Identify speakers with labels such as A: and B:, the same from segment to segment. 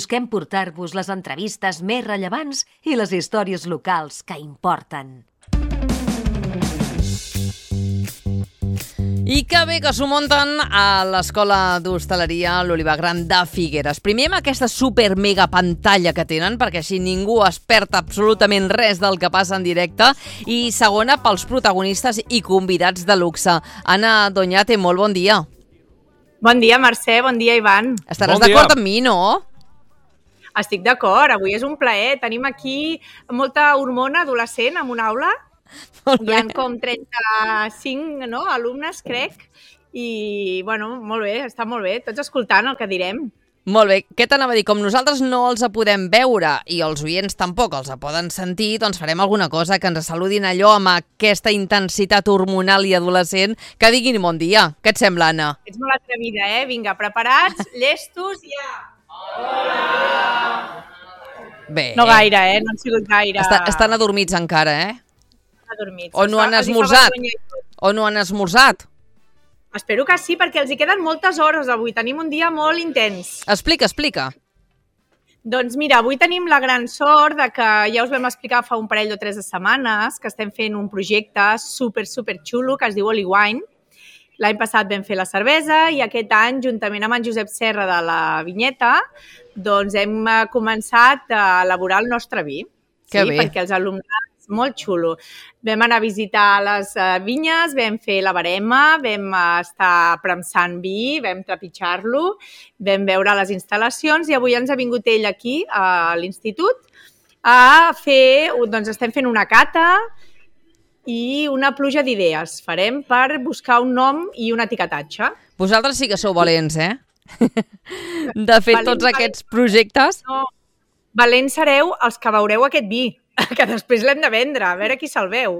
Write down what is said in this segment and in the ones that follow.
A: Busquem portar-vos les entrevistes més rellevants i les històries locals que importen.
B: I que bé que s'ho munten a l'Escola d'Hostaleria l'Olivar Gran de Figueres. Primer amb aquesta super mega pantalla que tenen, perquè així ningú es perd absolutament res del que passa en directe. I segona, pels protagonistes i convidats de luxe. Anna Doñate, molt bon dia.
C: Bon dia, Mercè, bon dia, Ivan.
B: Estaràs d'acord amb mi, no?
C: Estic d'acord, avui és un plaer. Tenim aquí molta hormona adolescent en una aula. Hi ha com 35 alumnes, crec, i molt bé, està molt bé, tots escoltant el que direm.
B: Molt bé, què t'anava a dir? Com nosaltres no els podem veure i els oients tampoc els poden sentir, doncs farem alguna cosa que ens saludin allò amb aquesta intensitat hormonal i adolescent, que diguin bon dia. Què et sembla, Anna?
C: Ets molt atrevida, eh? Vinga, preparats, llestos, ja! Hola!
B: Bé.
C: No gaire, no han sigut gaire.
B: Estan adormits encara,
C: Adormits.
B: O no han esmorzat. O no han esmorzat.
C: Espero que sí, perquè els hi queden moltes hores avui. Tenim un dia molt intens.
B: Explica.
C: Doncs mira, avui tenim la gran sort de que ja us vam explicar fa un parell o 3 de setmanes que estem fent un projecte super xulo que es diu Oli Wine. L'any passat vam fer la cervesa i aquest any, juntament amb en Josep Serra de la Vinyeta, doncs hem començat a elaborar el nostre vi.
B: Que bé.
C: Perquè els alumnes, molt xulo. Vam anar a visitar les vinyes, vam fer la barema, vam estar premsant vi, vam trepitjar-lo, vam veure les instal·lacions i avui ens ha vingut ell aquí, a l'institut, a fer, doncs estem fent una cata i una pluja d'idees. Farem per buscar un nom i un etiquetatge.
B: Vosaltres sí que sou valents, de fer tots aquests projectes.
C: No, valents sereu els que veureu aquest vi, que després l'hem de vendre, a veure qui se'l veu,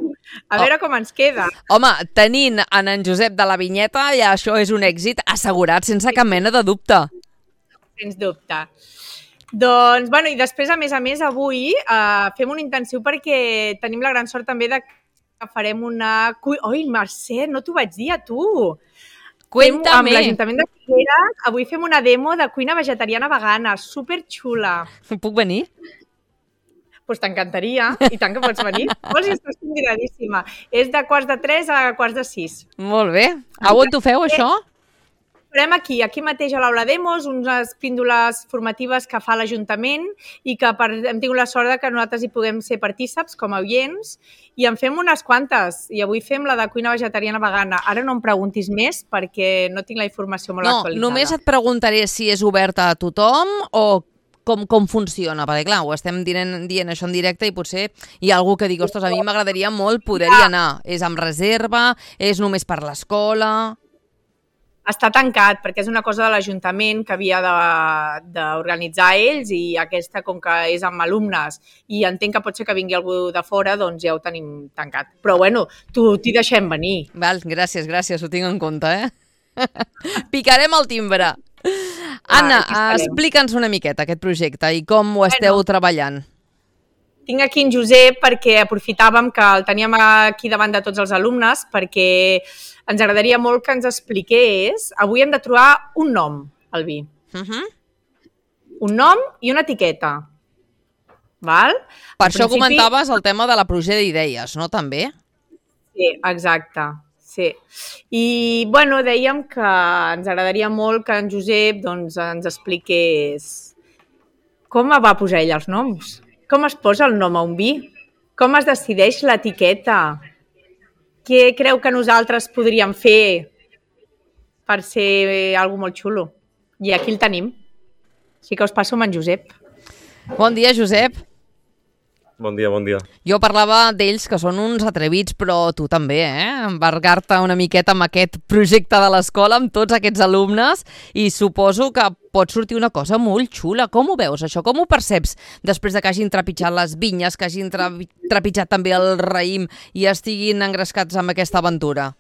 C: a veure com ens queda.
B: Home, tenint en Josep de la Vinyeta, ja això és un èxit assegurat, sense cap mena de dubte.
C: Sens dubte. Doncs, i després, a més, avui fem un intensiu perquè tenim la gran sort també de que farem una... Oi, Mercè, no t'ho vaig dir a tu!
B: Cuéntame.
C: Amb l'Ajuntament de Figueres, avui fem una demo de cuina vegetariana vegana, superxula.
B: Puc venir?
C: Doncs t'encantaria, i tant que pots venir. Vols i estàs convidadíssima. És de 2:45 a 5:45.
B: Molt bé. A on t'ho feu, això?
C: Farem aquí mateix a l'Aula Demos, unes píndoles formatives que fa l'Ajuntament i que hem tingut la sort que nosaltres hi puguem ser partíceps com a oients i en fem unes quantes. I avui fem la de cuina vegetariana vegana. Ara no em preguntis més perquè no tinc la informació molt actualitzada.
B: No, només et preguntaré si és oberta a tothom o com funciona, perquè clar, ho estem dient això en directe i potser hi ha algú que digui, ostres, a mi m'agradaria molt poder-hi anar. És amb reserva? És només per l'escola?
C: Està tancat perquè és una cosa de l'Ajuntament que havia d'organitzar ells i aquesta, com que és amb alumnes i entenc que pot ser que vingui algú de fora, doncs ja ho tenim tancat. Però t'hi deixem venir.
B: Val, gràcies, ho tinc en compte, Picarem el timbre. Anna, explica'ns una miqueta aquest projecte i com ho esteu treballant.
C: Tinc aquí en Josep perquè aprofitàvem que el teníem aquí davant de tots els alumnes perquè ens agradaria molt que ens expliqués. Avui hem de trobar un nom al vi. Un nom i una etiqueta. Val?
B: Per això comentaves el tema de la pluja d'idees, no, també?
C: Sí, exacte. Sí. I, dèiem que ens agradaria molt que en Josep ens expliqués com va posar ell els noms. Com es posa el nom a un vi? Com es decideix l'etiqueta? Què creu que nosaltres podríem fer per ser alguna molt xulo? I aquí el tenim. Així que us passo amb en Josep.
B: Bon dia, Josep.
D: Bon dia.
B: Jo parlava d'ells que són uns atrevits, però tu també, embargar-te una miqueta amb aquest projecte de l'escola, amb tots aquests alumnes, i suposo que pot sortir una cosa molt xula. Com ho veus, això? Com ho perceps després de que hagin trepitjat les vinyes, que hagin trepitjat també el raïm i estiguin engrescats amb aquesta aventura?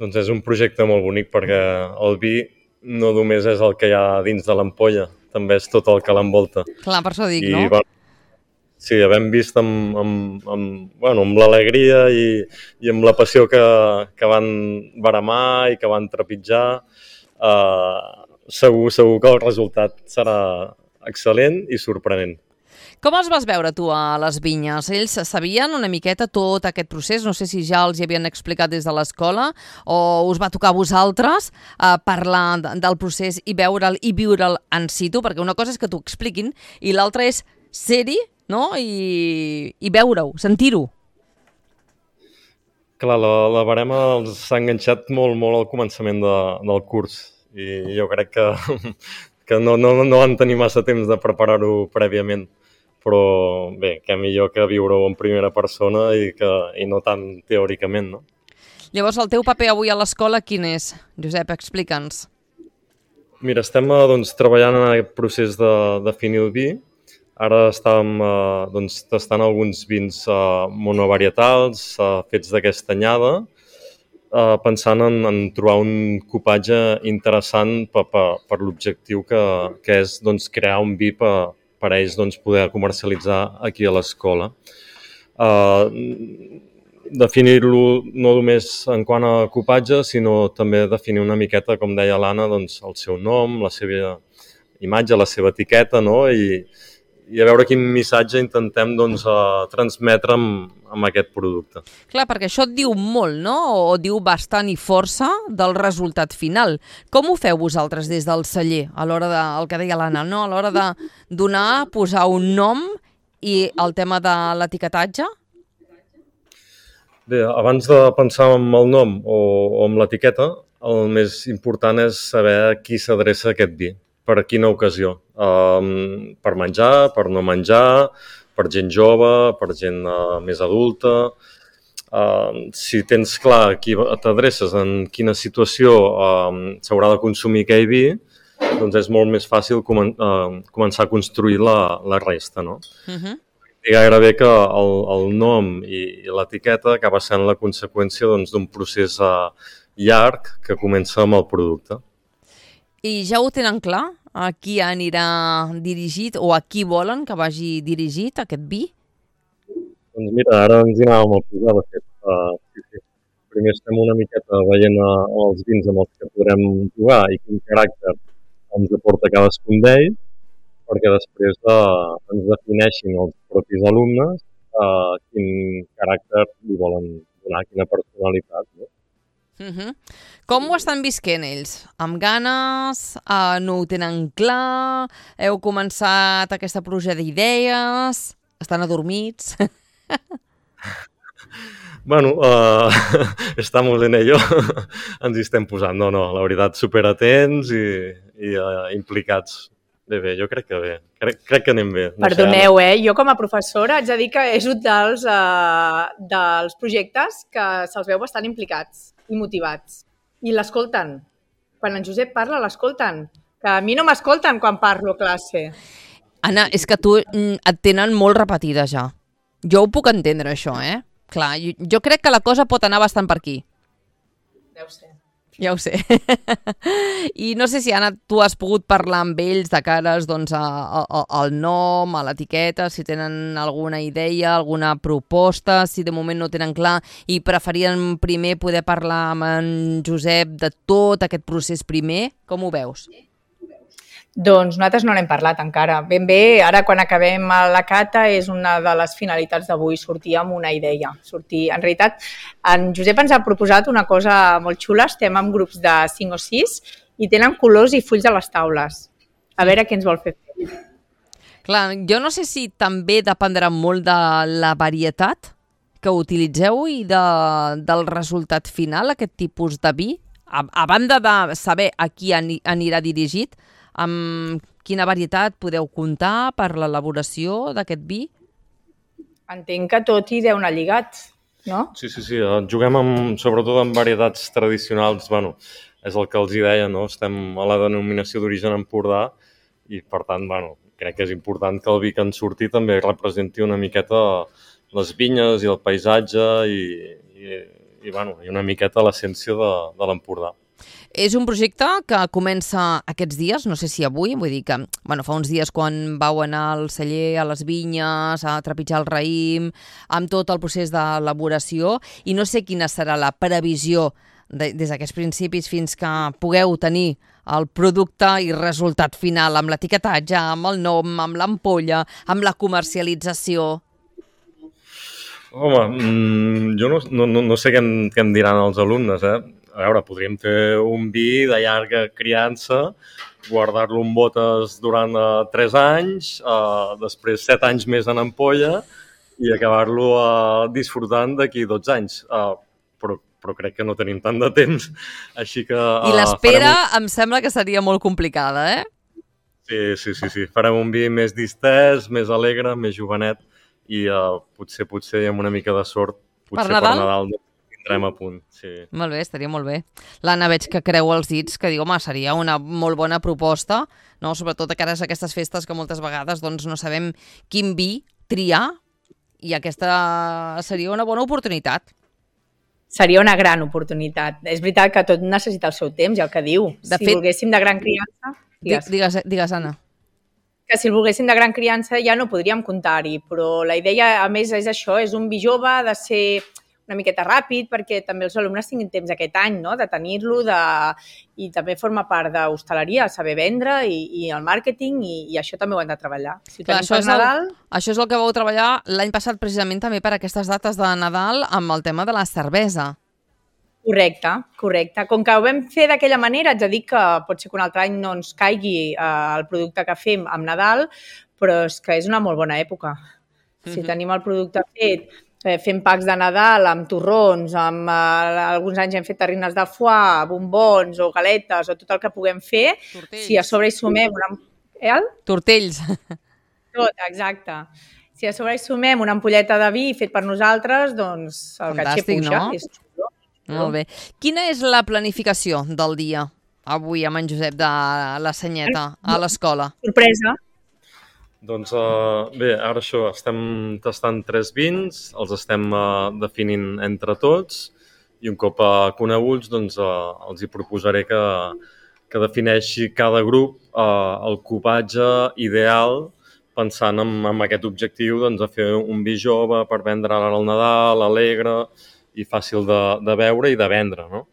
D: Doncs és un projecte molt bonic perquè el vi no només és el que hi ha dins de l'ampolla, també és tot el que l'envolta.
B: Clar, per això dic,
D: no?
E: Sí, havent vist amb l'alegria i amb la passió que van baramar i que van trepitjar, segur que el resultat serà excel·lent i sorprenent.
B: Com els vas veure tu a les vinyes? Ells sabien una miqueta tot aquest procés? No sé si ja els hi havien explicat des de l'escola o us va tocar a vosaltres parlar del procés i veure'l i viure'l en situ, perquè una cosa és que t'ho expliquin i l'altra és ser-hi, no? I veure-ho, sentir-ho.
E: Clar, la barema els s'ha enganxat molt al començament del curs i jo crec que no van tenir massa temps de preparar-ho prèviament. Però bé, què millor que viure-ho en primera persona i no tant teòricament, no?
B: Llavors, el teu paper avui a l'escola quin és? Josep, explica'ns.
E: Mira, estem treballant en aquest procés de definir el vi. Ara estàvem tastant alguns vins monovarietals fets d'aquesta anyada, pensant en trobar un cupatge interessant per l'objectiu que és crear un vi per a ells poder comercialitzar aquí a l'escola. Definir-lo no només en quant a cupatge, sinó també definir una miqueta, com deia l'Anna, el seu nom, la seva imatge, la seva etiqueta, no? I a veure quin missatge intentem transmetre amb aquest producte.
B: Clar, perquè això et diu molt, no? O diu bastant i força del resultat final. Com ho feu vosaltres des del celler, a l'hora de, el que deia l'Anna, no? A l'hora de donar, posar un nom i el tema de l'etiquetatge?
E: Bé, abans de pensar en el nom o en l'etiqueta, el més important és saber a qui s'adreça aquest vi, per quina ocasió. Per menjar, per no menjar, per gent jove, per gent més adulta. Si tens clar a qui t'adreces, en quina situació s'haurà de consumir aquell vi, doncs és molt més fàcil començar a construir la resta, no? I gairebé que el nom i l'etiqueta acaba sent la conseqüència d'un procés llarg que comença amb el producte.
B: I ja ho tenen clar? A qui anirà dirigit o a qui volen que vagi dirigit aquest vi?
E: Doncs mira, ara ens hi anàvem a posar, de fet. Sí. Primer estem una miqueta veient els vins amb els que podrem jugar i quin caràcter ens aporta cadascun d'ells, perquè després ens defineixin els propis alumnes quin caràcter li volen donar, quina personalitat, no?
B: Com ho estan visquent ells? Amb ganes? No ho tenen clar? Heu començat aquesta pluja d'idees? Estan adormits?
E: Bueno, estamos en ello. Ens hi estem posant. No, la veritat, superatents i implicats. Bé, jo crec que bé. Crec que anem bé.
C: Perdoneu, jo com a professora haig de dir que és un dels projectes que se'ls veu bastant implicats i motivats. I l'escolten. Quan en Josep parla, l'escolten. Que a mi no m'escolten quan parlo a classe.
B: Anna, és que tu et tenen molt repetida ja. Jo ho puc entendre, això, Clar, jo crec que la cosa pot anar bastant per aquí.
C: Deu ser.
B: Ja ho sé. I no sé si, Anna, tu has pogut parlar amb ells de cares al nom, a l'etiqueta, si tenen alguna idea, alguna proposta, si de moment no tenen clar i preferien primer poder parlar amb en Josep de tot aquest procés primer. Com ho veus?
C: Doncs nosaltres no n'hem parlat encara. Ben bé, ara quan acabem la cata és una de les finalitats d'avui, sortir amb una idea. En realitat, en Josep ens ha proposat una cosa molt xula, estem en grups de 5 o 6 i tenen colors i fulls a les taules. A veure què ens vol fer.
B: Clar, jo no sé si també dependrà molt de la varietat que utilitzeu i del resultat final, aquest tipus de vi, a banda de saber a qui anirà dirigit. Amb quina varietat podeu comptar per l'elaboració d'aquest vi?
C: Entenc que tot hi deu anar lligat, no?
E: Sí. Juguem sobretot amb varietats tradicionals. Bueno, és el que els hi deia, no? Estem a la denominació d'origen Empordà i, per tant, crec que és important que el vi que en surti també representi una miqueta les vinyes i el paisatge i una miqueta l'essència de l'Empordà.
B: És un projecte que comença aquests dies, no sé si avui, vull dir que fa uns dies quan vau anar al celler, a les vinyes, a trepitjar el raïm, amb tot el procés d'elaboració, i no sé quina serà la previsió des d'aquests principis fins que pugueu tenir el producte i resultat final, amb l'etiquetatge, amb el nom, amb l'ampolla, amb la comercialització?
E: Home, jo no sé què em diran els alumnes, A veure, podríem fer un vi de llarga criança, guardar-lo en botes durant 3 anys, després 7 anys més en ampolla i acabar-lo disfrutant d'aquí 12 anys. Però crec que no tenim tant de temps, així que...
B: I l'espera em sembla que seria molt complicada,
E: Sí. Farem un vi més distès, més alegre, més jovenet i potser amb una mica de sort, potser per Nadal tindrem a punt. Sí.
B: Molt bé, estaria molt bé. L'Anna veig que creu els dits, que diu, home, seria una molt bona proposta, no? Sobretot a cares a aquestes festes que moltes vegades doncs, no sabem quin vi triar i aquesta seria una bona oportunitat.
C: Seria una gran oportunitat. És veritat que tot necessita el seu temps, ja el que diu. Si volguéssim de gran criança...
B: Digues, Anna.
C: Que si el volguéssim de gran criança ja no podríem comptar-hi, però la idea, a més, és això, és un vi jove, ha de ser una miqueta ràpid, perquè també els alumnes tinguin temps aquest any, no?, de tenir-lo, i també forma part d'hostaleria, saber vendre i el màrqueting, i això també ho hem de treballar. Si
B: clar, això és el que vau treballar l'any passat precisament també per aquestes dates de Nadal amb el tema de la cervesa.
C: Correcte. Com que ho vam fer d'aquella manera, haig de dir que pot ser que un altre any no ens caigui el producte que fem amb Nadal, però és que és una molt bona època. Si tenim el producte fet, fem packs de Nadal amb torrons, alguns anys hem fet terrines de foie, bombons o galetes o tot el que puguem fer, si a sobre hi sumem
B: Tortells.
C: Tot, exacte. Si a sobre hi sumem una ampolleta de vi fet per nosaltres, doncs el catxer puja.
B: No? És xulo. Molt bé. Quina és la planificació del dia avui amb en Josep de la Senyeta a l'escola?
C: Sorpresa.
E: Doncs bé, ara això, estem tastant 3 vins, els estem definint entre tots i un cop coneguts doncs, els hi proposaré que defineixi cada grup el cupatge ideal pensant en aquest objectiu doncs, de fer un vi jove per vendre ara al Nadal, alegre i fàcil de beure i de vendre, no?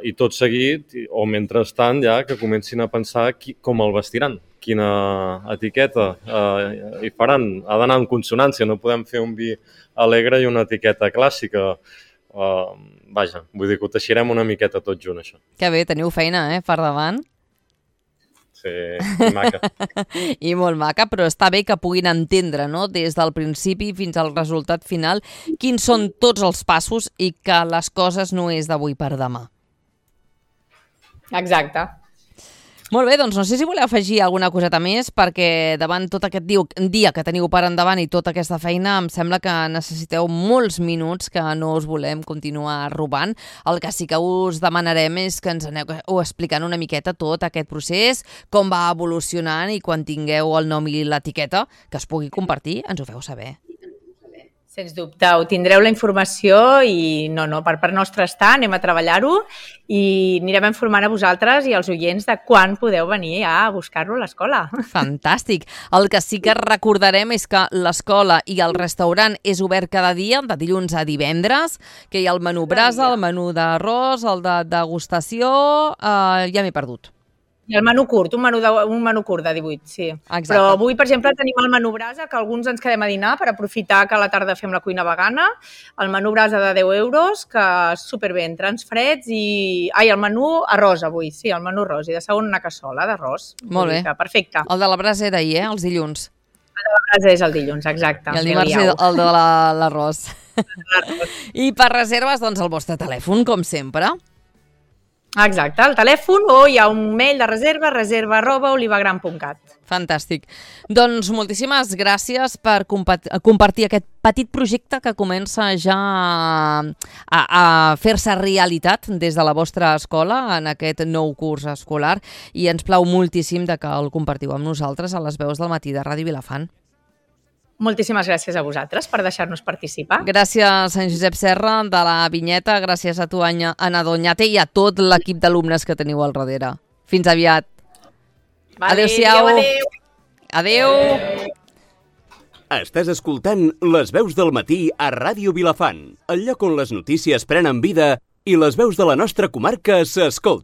E: I tot seguit, o mentrestant ja, que comencin a pensar com el vestiran, quina etiqueta hi faran. Ha d'anar en consonància, no podem fer un vi alegre i una etiqueta clàssica. Vaja, vull dir que ho teixirem una miqueta tot junt, això.
B: Que bé, teniu feina, per davant.
E: Sí, i maca.
B: I molt maca, però està bé que puguin entendre, no?, des del principi fins al resultat final, quins són tots els passos i que les coses no és d'avui per demà.
C: Exacte.
B: Molt bé, doncs no sé si voleu afegir alguna coseta més, perquè davant tot aquest dia que teniu per endavant i tota aquesta feina, em sembla que necessiteu molts minuts que no us volem continuar robant. El que sí que us demanarem és que ens aneu explicant una miqueta tot aquest procés, com va evolucionant i quan tingueu el nom i l'etiqueta que es pugui compartir, ens ho feu saber.
C: Sens dubte, ho tindreu la informació i per part nostra està, anem a treballar-ho i anirem informant a vosaltres i als oients de quan podeu venir a buscar-lo a l'escola.
B: Fantàstic. El que sí que recordarem és que l'escola i el restaurant és obert cada dia, de dilluns a divendres, que hi ha el menú brasa, el menú d'arròs, el de degustació, ja m'he perdut.
C: I el menú curt, un menú curt de 18, sí.
B: Exacte.
C: Però avui, per exemple, tenim el menú brasa, que alguns ens quedem a dinar per aprofitar que a la tarda fem la cuina vegana. El menú brasa de 10 euros, que és superbé, entrants freds i... el menú arròs avui, sí, el menú arròs. I de segon una cassola d'arròs.
B: Molt bé.
C: Perfecte.
B: El de la brasa era ahir, els dilluns.
C: El de la brasa és el dilluns, exacte.
B: I el dimarts el de l'arròs. I per reserves, doncs, el vostre telèfon, com sempre.
C: Exacte, el telèfon o hi ha un mail de reserva@olivagran.cat.
B: Fantàstic. Doncs moltíssimes gràcies per compartir aquest petit projecte que comença ja a fer-se realitat des de la vostra escola en aquest nou curs escolar i ens plau moltíssim que el compartiu amb nosaltres a les veus del matí de Ràdio Vilafant.
C: Moltíssimes gràcies a vosaltres per deixar-nos participar.
B: Gràcies a en Josep Serra de la Vinyeta, gràcies a tu, Anna Doñate, i a tot l'equip d'alumnes que teniu al darrere. Fins aviat. Adéu-siau. Adéu.
F: Estàs escoltant Les veus del matí a Ràdio Vilafant, el lloc on les notícies prenen vida i les veus de la nostra comarca s'escolten.